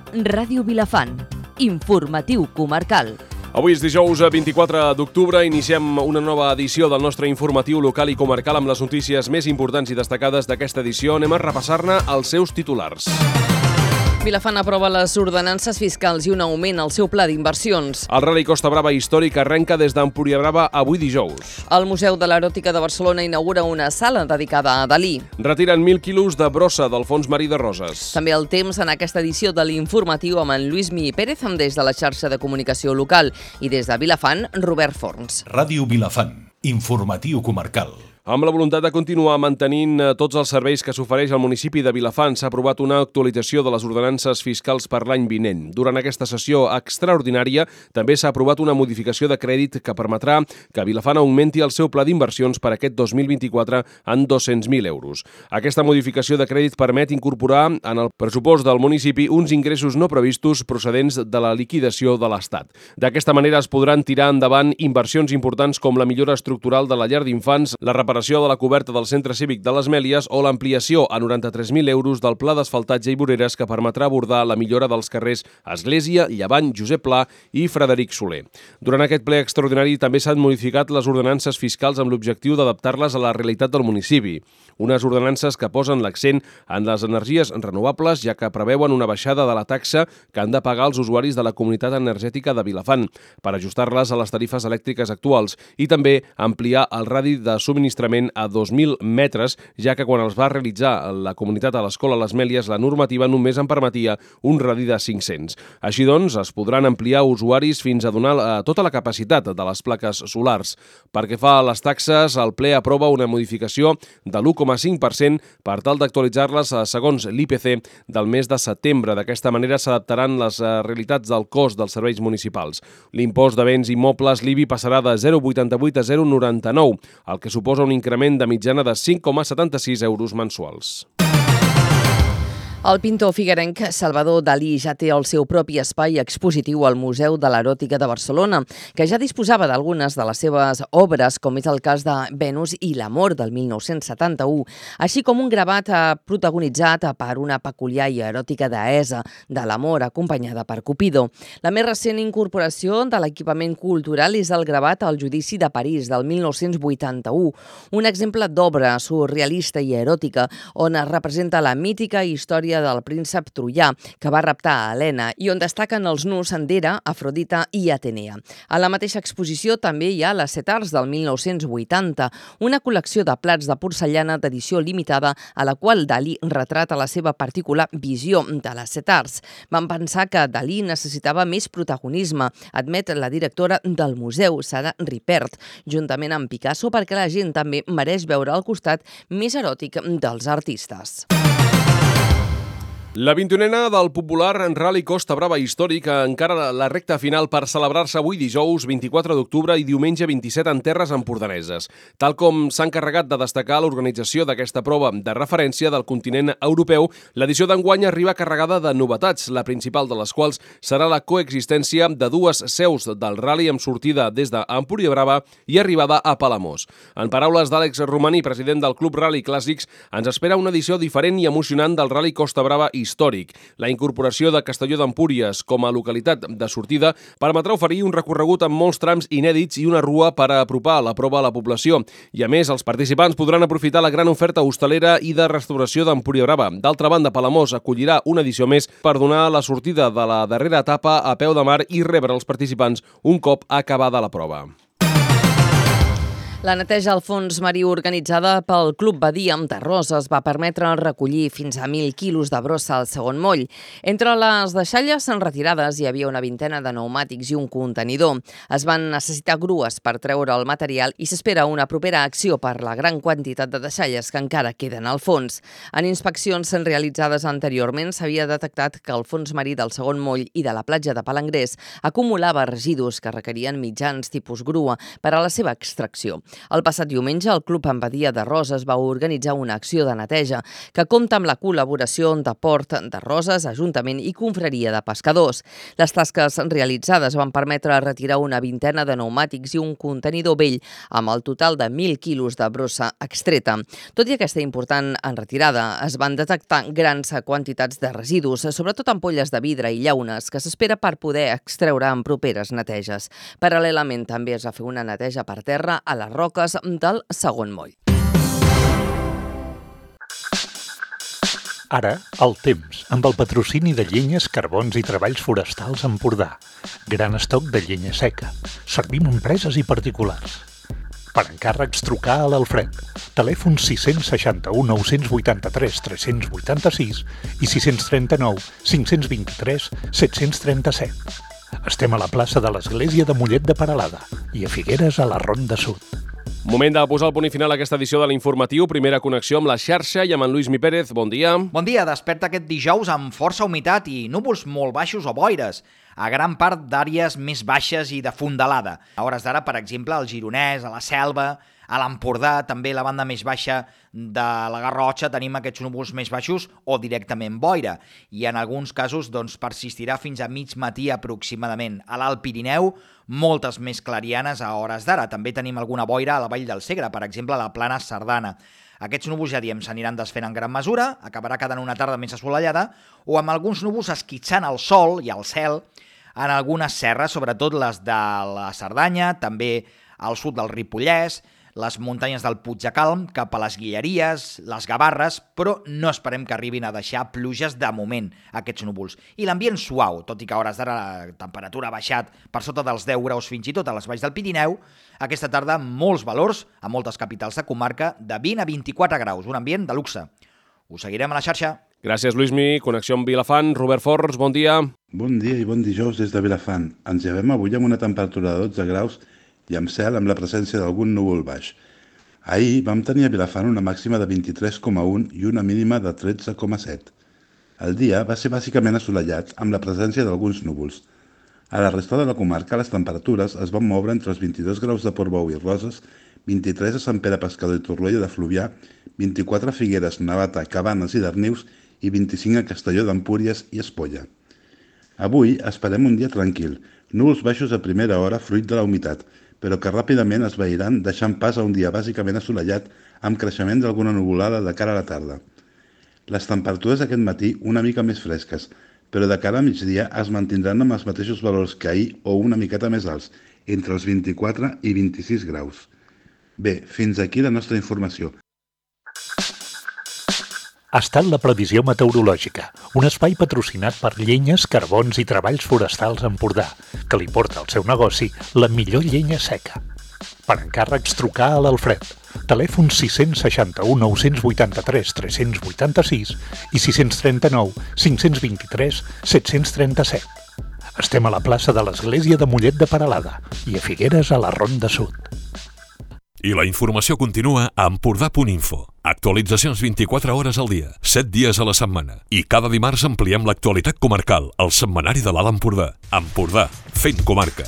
Ràdio Vilafant. Informatiu comarcal. Avui és dijous 24 d'octubre, iniciem una nova edició del nostre informatiu local i comarcal amb les notícies més importants i destacades d'aquesta edició. Anem a repassar-ne els seus titulars. Vilafant aprova les ordenances fiscals i un augment al seu pla d'inversions. El Rally Costa Brava històric arrenca des d'Empuriabrava avui dijous. El Museu de l'Eròtica de Barcelona inaugura una sala dedicada a Dalí. Retiren 1.000 quilos de brossa del fons marí de Roses. També el temps en aquesta edició de l'Informatiu amb en Lluís Mi Pérez des de la xarxa de comunicació local i des de Vilafant, Robert Forns. Ràdio Vilafant, informatiu comarcal. Amb la voluntat de continuar mantenint tots els serveis que s'ofereix al municipi de Vilafant, s'ha aprovat una actualització de les ordenances fiscals per l'any vinent. Durant aquesta sessió extraordinària també s'ha aprovat una modificació de crèdit que permetrà que Vilafant augmenti el seu pla d'inversions per aquest 2024 en 200.000 euros. Aquesta modificació de crèdit permet incorporar en el pressupost del municipi uns ingressos no previstos procedents de la liquidació de l'Estat. D'aquesta manera es podran tirar endavant inversions importants com la millora estructural de la llar d'infants, la reparació de la coberta del centre cívic de les Mèlies o l'ampliació a 93.000 euros del pla d'asfaltatge i voreres que permetrà abordar la millora dels carrers Església, Llevant, Josep Pla i Frederic Soler. Durant aquest ple extraordinari també s'han modificat les ordenances fiscals amb l'objectiu d'adaptar-les a la realitat del municipi. Unes ordenances que posen l'accent en les energies renovables, ja que preveuen una baixada de la taxa que han de pagar els usuaris de la comunitat energètica de Vilafant per ajustar-les a les tarifes elèctriques actuals i també ampliar el radi de subministrament a 2.000 metres, ja que quan els va realitzar la comunitat a l'escola Les Mèlies, la normativa només en permetia un radi de 500. Així doncs, es podran ampliar usuaris fins a donar tota la capacitat de les plaques solars. Perquè fa a les taxes, el ple aprova una modificació de l'1,5% per tal d'actualitzar-les segons l'IPC del mes de setembre. D'aquesta manera s'adaptaran les realitats del cost dels serveis municipals. L'impost de béns immobles, l'IBI, passarà de 0,88 a 0,99, el que suposa un increment de mitjana de 5,76 euros mensuals. El pintor figuerenc Salvador Dalí ja té el seu propi espai expositiu al Museu de l'Eròtica de Barcelona, que ja disposava d'algunes de les seves obres, com és el cas de Venus i l'amor del 1971, així com un gravat protagonitzat per una peculiar i eròtica deessa de l'amor acompanyada per Cupido. La més recent incorporació de l'equipament cultural és el gravat al Judici de París del 1981, un exemple d'obra surrealista i eròtica on es representa la mítica història del príncep troià que va raptar a Helena i on destaquen els nus Endera, Afrodita i Atenea. A la mateixa exposició també hi ha les Set Arts del 1980, una col·lecció de plats de porcellana d'edició limitada a la qual Dalí retrata la seva particular visió de les Set Arts. Van pensar que Dalí necessitava més protagonisme, admet la directora del museu, Sara Ripert, juntament amb Picasso, perquè la gent també mereix veure el costat més eròtic dels artistes. La 21a del popular Rally Costa Brava històric encara la recta final per celebrar-se avui dijous 24 d'octubre i diumenge 27 en terres empordaneses. Tal com s'ha encarregat de destacar l'organització d'aquesta prova de referència del continent europeu, l'edició d'enguany arriba carregada de novetats, la principal de les quals serà la coexistència de dues seus del rally amb sortida des d'Empuriabrava i arribada a Palamós. En paraules d'Àlex Romaní, president del Club Rally Clàssics, ens espera una edició diferent i emocionant del Rally Costa Brava històric. La incorporació de Castelló d'Empúries com a localitat de sortida permetrà oferir un recorregut amb molts trams inèdits i una rua per a apropar la prova a la població. I a més, els participants podran aprofitar la gran oferta hostalera i de restauració d'Empuriabrava. D'altra banda, Palamós acollirà una edició més per donar la sortida de la darrera etapa a peu de mar i rebre els participants un cop acabada la prova. La neteja al fons marí organitzada pel Club Badia de Roses va permetre recollir fins a 1.000 quilos de brossa al segon moll. Entre les deixalles retirades hi havia una vintena de pneumàtics i un contenidor. Es van necessitar grues per treure el material i s'espera una propera acció per la gran quantitat de deixalles que encara queden al fons. En inspeccions realitzades anteriorment s'havia detectat que el fons marí del segon moll i de la platja de Palangrés acumulava residus que requerien mitjans tipus grua per a la seva extracció. El passat diumenge, el Club Badia de Roses va organitzar una acció de neteja que compta amb la col·laboració de Port de Roses, Ajuntament i Confraria de Pescadors. Les tasques realitzades van permetre retirar una vintena de pneumàtics i un contenidor vell amb el total de 1.000 quilos de brossa extreta. Tot i aquesta important retirada, es van detectar grans quantitats de residus, sobretot ampolles de vidre i llaunes, que s'espera per poder extreure en properes neteges. Paral·lelament, també es va fer una neteja per terra a les roques del segon moll. Ara, el temps, amb el patrocini de Llenyes, Carbons i Treballs Forestals Empordà. Gran estoc de llenya seca. Servim empreses i particulars. Per encàrrecs, trucar a l'Alfred. Telèfon 661 983 386 i 639 523 737. Estem a la plaça de l'Església de Mollet de Peralada i a Figueres, a la Ronda Sud. Moment de posar el punt i final a aquesta edició de l'Informatiu. Primera connexió amb la xarxa i amb en Lluís Mi Pérez. Bon dia. Bon dia. Desperta aquest dijous amb força humitat i núvols molt baixos o boires a gran part d'àrees més baixes i de fondalada. A hores d'ara, per exemple, al Gironès, a la Selva, a l'Empordà, també la banda més baixa de la Garrotxa, tenim aquests núvols més baixos o directament boira. I en alguns casos persistirà fins a mig matí aproximadament. A l'Alt Pirineu, moltes més clarianes a hores d'ara. També tenim alguna boira a la Vall del Segre, per exemple, a la Plana Cerdana. Aquests núvols, ja diem, s'aniran desfent en gran mesura, acabarà quedant una tarda més assolellada, o amb alguns núvols esquitxant el sol i el cel en algunes serres, sobretot les de la Cerdanya, també al sud del Ripollès, les muntanyes del Puig de Calm, cap a les Guilleries, les Gavarres, però no esperem que arribin a deixar pluges de moment, aquests núvols. I l'ambient suau, tot i que a hores d'ara la temperatura ha baixat per sota dels 10 graus fins i tot a les valls del Pirineu, aquesta tarda molts valors a moltes capitals de comarca de 20 a 24 graus, un ambient de luxe. Us seguirem a la xarxa. Gràcies, Lluís-Mi. Connexió amb Vilafant. Robert Forns, bon dia. Bon dia i bon dijous des de Vilafant. Ens llevem avui amb una temperatura de 12 graus i amb cel amb la presència d'algun núvol baix. Ahir vam tenir a Vilafant una màxima de 23,1 i una mínima de 13,7. El dia va ser bàsicament assolellat amb la presència d'alguns núvols. A la resta de la comarca les temperatures es van moure entre els 22 graus de Portbou i Roses, 23 a Sant Pere Pescador i Torroella de Fluvià, 24 a Figueres, Navata, Cabanes i Darnius i 25 a Castelló d'Empúries i Espolla. Avui esperem un dia tranquil, núvols baixos a primera hora fruit de la humitat, però que ràpidament es veiran deixant pas a un dia bàsicament assolellat amb creixement d'alguna nuvolada de cara a la tarda. Les temperatures aquest matí una mica més fresques, però de cara a migdia es mantindran amb els mateixos valors que ahir o una miqueta més alts, entre els 24 i 26 graus. Bé, fins aquí la nostra informació. Ha estat la previsió meteorològica, un espai patrocinat per Llenyes, Carbons i Treballs Forestals Empordà, que li porta al seu negoci la millor llenya seca. Per encàrrecs, trucar a l'Alfred. Telèfon 661 983 386 i 639 523 737. Estem a la plaça de l'Església de Mollet de Peralada i a Figueres, a la Ronda Sud. I la informació continua a Empordà.info. Actualitzacions 24 hores al dia, 7 dies a la setmana. I cada dimarts ampliem l'actualitat comarcal, al setmanari de l'Alt Empordà. Empordà, fent comarca.